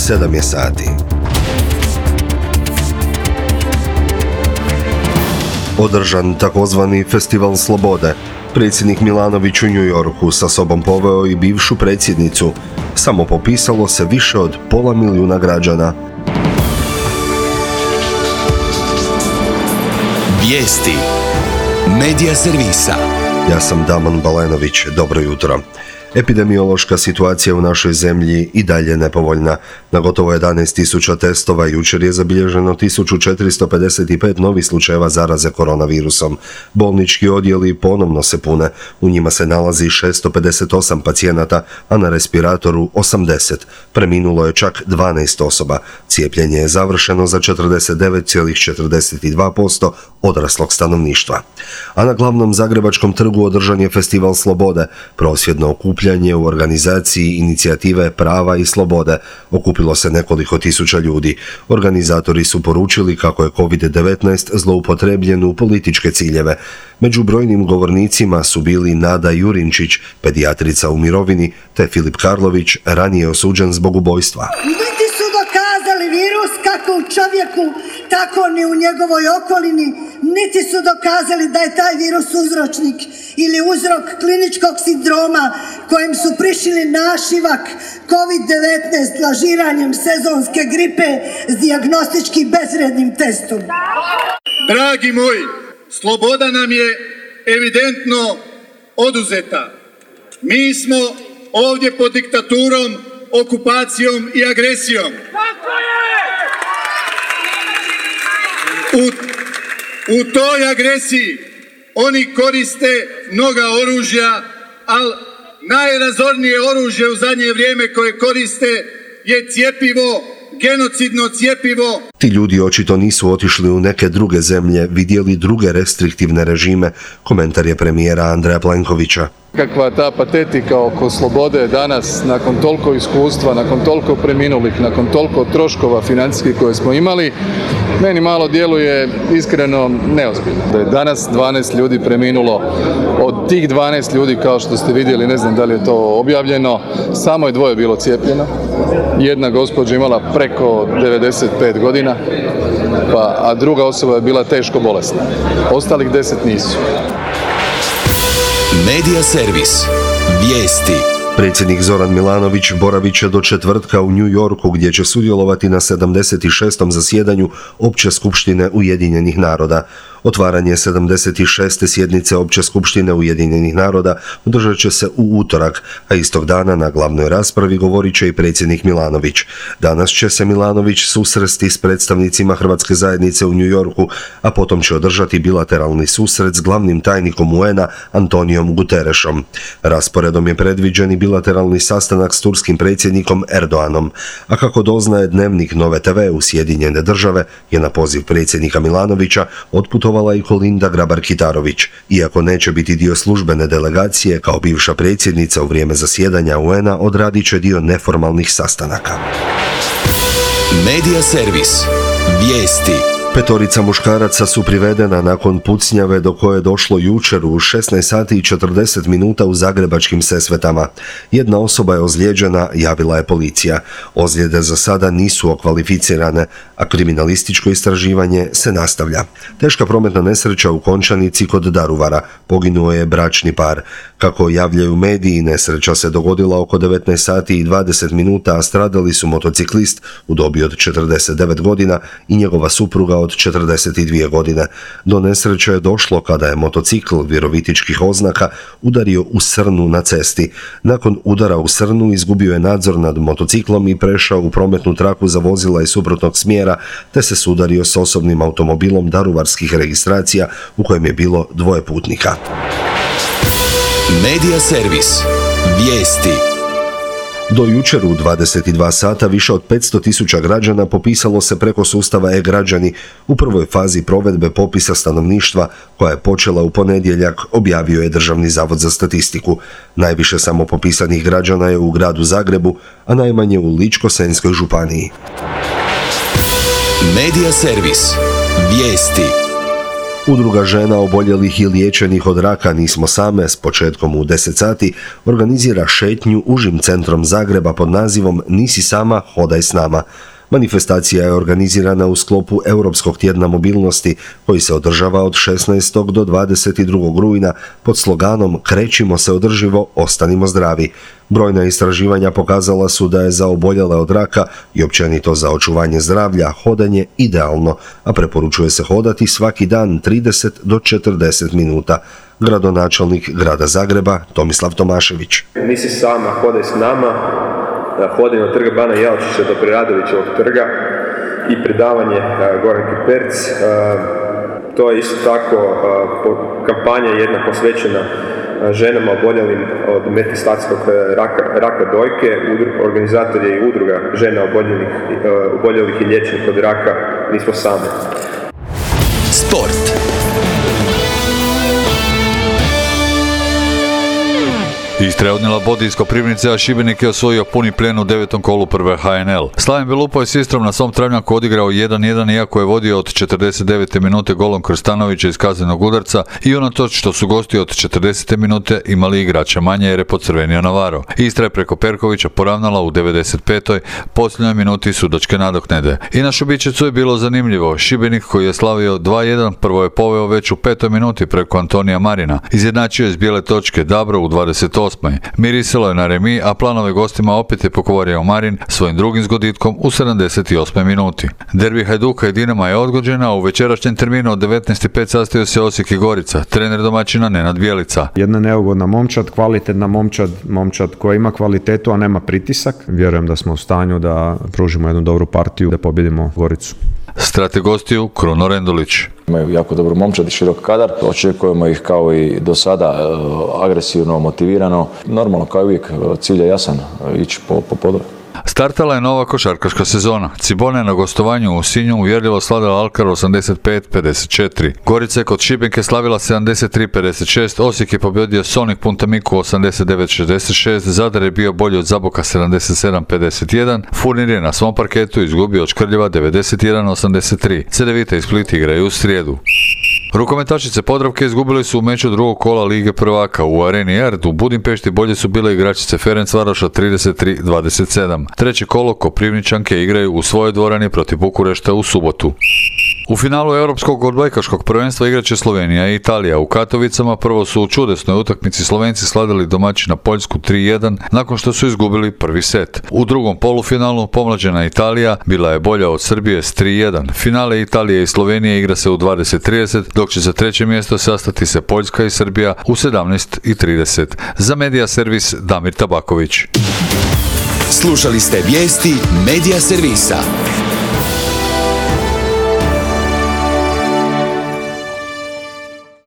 7 je sati. Održan takozvani Festival slobode. Predsjednik Milanović u New Yorku sa sobom poveo i bivšu predsjednicu. Samo popisalo se više od 500 000 građana. Vijesti Medija servisa. Ja sam Damon Balenović, dobro jutro. Epidemiološka situacija u našoj zemlji i dalje nepovoljna. Na gotovo 11.000 testova jučer je zabilježeno 1455 novih slučajeva zaraze koronavirusom. Bolnički odjeli ponovno se pune. U njima se nalazi 658 pacijenata, a na respiratoru 80. Preminulo je čak 12 osoba. Cijepljenje je završeno za 49,42% odraslog stanovništva. A na glavnom zagrebačkom trgu održan je Festival slobode, prosvjedno okupljanje u organizaciji inicijative Prava i slobode. Okupilo se nekoliko tisuća ljudi. Organizatori su poručili kako je COVID-19 zloupotrebljen u političke ciljeve. Među brojnim govornicima su bili Nada Jurinčić, pedijatrica u mirovini, te Filip Karlović, ranije osuđen zbog ubojstva. Niti su dokazali virus kako u čovjeku, tako ni u njegovoj okolini, niti su dokazali da je taj virus uzročnik ili uzrok kliničkog sindroma kojem su prišili našivak COVID-19 lažiranjem sezonske gripe s dijagnostički bezvrijednim testom. Dragi moji, sloboda nam je evidentno oduzeta. Mi smo ovdje pod diktaturom, okupacijom i agresijom. U toj agresiji oni koriste mnoga oružja, ali najrazornije oružje u zadnje vrijeme koje koriste je cjepivo, genocidno cjepivo. Ti ljudi očito nisu otišli u neke druge zemlje, vidjeli druge restriktivne režime, komentar je premijera Andreja Plenkovića. Kakva ta patetika oko slobode danas, nakon toliko iskustva, nakon toliko preminulih, nakon toliko troškova financijskih koje smo imali, meni malo djeluje iskreno neozbiljno. Da je danas 12 ljudi preminulo, od tih 12 ljudi, kao što ste vidjeli, ne znam da li je to objavljeno, samo je 2 bilo cijepljeno. Jedna gospođa imala preko 95 godina, a druga osoba je bila teško bolesna. Ostalih 10 nisu. Medija servis. Vijesti. Predsjednik Zoran Milanović boravit će do četvrtka u New Yorku gdje će sudjelovati na 76. zasjedanju Opće skupštine Ujedinjenih naroda. Otvaranje 76. sjednice Opće skupštine Ujedinjenih naroda održat će se u utorak, a istog dana na glavnoj raspravi govorit će i predsjednik Milanović. Danas će se Milanović susresti s predstavnicima Hrvatske zajednice u New Yorku, a potom će održati bilateralni susret s glavnim tajnikom UN-a Antonijom Guterešom. Rasporedom je predviđen i bilateralni sastanak s turskim predsjednikom Erdoganom, a kako doznaje Dnevnik Nove TV u Sjedinjene države je na poziv predsjednika Milanovića otputovala i Kolinda Grabar-Kitarović. Iako neće biti dio službene delegacije, kao bivša predsjednica u vrijeme zasjedanja UN-a odradit će dio neformalnih sastanaka. Medija servis. Vijesti. 5 muškaraca su privedena nakon pucnjave do koje je došlo jučer u 16 sati i 40 minuta u zagrebačkim Sesvetama. Jedna osoba je ozlijeđena, javila je policija. Ozljede za sada nisu okvalificirane, a kriminalističko istraživanje se nastavlja. Teška prometna nesreća u Končanici kod Daruvara. Poginuo je bračni par. Kako javljaju mediji, nesreća se dogodila oko 19 sati i 20 minuta, a stradali su motociklist u dobi od 49 godina i njegova supruga od 42 godine. Do nesreće je došlo kada je motocikl virovitičkih oznaka udario u srnu na cesti. Nakon udara u srnu izgubio je nadzor nad motociklom i prešao u prometnu traku za vozila iz suprotnog smjera, te se sudario s osobnim automobilom daruvarskih registracija u kojem je bilo 2 putnika. Medija servis. Vijesti. Do jučer u 22 sata više od 500.000 građana popisalo se preko sustava e-građani u prvoj fazi provedbe popisa stanovništva koja je počela u ponedjeljak, objavio je Državni zavod za statistiku. Najviše samopopisanih građana je u gradu Zagrebu, a najmanje u Ličko-senjskoj županiji. Medija servis. Vijesti. Udruga žena oboljelih i liječenih od raka Nismo same s početkom u 10 sati organizira šetnju užim centrom Zagreba pod nazivom Nisi sama, hodaj s nama. Manifestacija je organizirana u sklopu Europskog tjedna mobilnosti koji se održava od 16. do 22. rujna pod sloganom Krećimo se održivo, ostanimo zdravi. Brojna istraživanja pokazala su da je za oboljele od raka i općenito za očuvanje zdravlja hodanje idealno, a preporučuje se hodati svaki dan 30 do 40 minuta. Gradonačelnik grada Zagreba Tomislav Tomašević. Nisi sama, hodaj s nama. Hodanje od trga Bana Jelačića do Preradovićevog trga i predavanje Goranke Perc. To je isto tako kampanja jedna posvećena ženama oboljelim od metastatskog raka dojke. Organizator je i udruga žena oboljelih i liječenih od raka Nismo same. Sport. Istra je odnijela bod iz Koprivnice, a Šibenik je osvojio puni plijen u 9. kolu prve HNL. Slaven Belupo je s Istrom na svom travnjaku odigrao 1-1 iako je vodio od 49. minute golom Krstanovića iz kaznenog udarca i unatoč što su gosti od 40. minute imali igrača manje jer je podcrvenio Navaro. Istra je preko Perkovića poravnala u 95. posljednjoj minuti sudačke nadoknade. I na Šubićecu je bilo zanimljivo. Šibenik koji je slavio 2-1 prvo je poveo već u 5. minuti preko Antonija Marina. Izjednačio je s bijele točke Dabro u 28. Mirisalo je na remi, a planove gostima opet je pokvario Marin svojim drugim zgoditkom u 78. minuti. Derbi Hajduka i Dinama je odgođena, a u večerašnjem terminu od 19.05 sastaju se Osijek i Gorica. Trener domaćina Nenad Bjelica. Jedna neugodna momčad, kvalitetna momčad koja ima kvalitetu, a nema pritisak. Vjerujem da smo u stanju da pružimo jednu dobru partiju, da pobjedimo Goricu. Strate gostiju Kruno Rendulić. Imaju jako dobru momčad i širok kadar. Očekujemo ih kao i do sada agresivno, motivirano. Normalno, kao i uvijek, cilj je jasan, ići po podu. Startala je nova košarkaška sezona. Cibona je na gostovanju u Sinju uvjerljivo slavila Alkar 85-54. Gorica je kod Šibenke slavila 73-56, Osijek je pobjedio Sonik Puntamiku 89-66, Zadar je bio bolji od Zaboka 77-51, Furnir je na svom parketu izgubio od Škrljeva 91-83. Cedevita i Split igraju u srijedu. Rukometašice Podravke izgubili su u meču drugog kola Lige prvaka u Areni Erd. U Budimpešti bolje su bile igračice Ferencvaroša 33-27. Treće kolo Koprivničanke igraju u svojoj dvorani protiv Bukurešta u subotu. U finalu Europskog odbojkaškog prvenstva igraće Slovenija i Italija. U Katovicama prvo su u čudesnoj utakmici Slovenci slavili domaćina Poljsku 3-1 nakon što su izgubili prvi set. U drugom polufinalu pomlađena Italija bila je bolja od Srbije s 3-1. Finale Italije i Slovenije igra se u 20:30, dok će za treće mjesto sastati se Poljska i Srbija u 17:30. Za Medija servis Damir Tabaković. Slušali ste vijesti Medija servisa.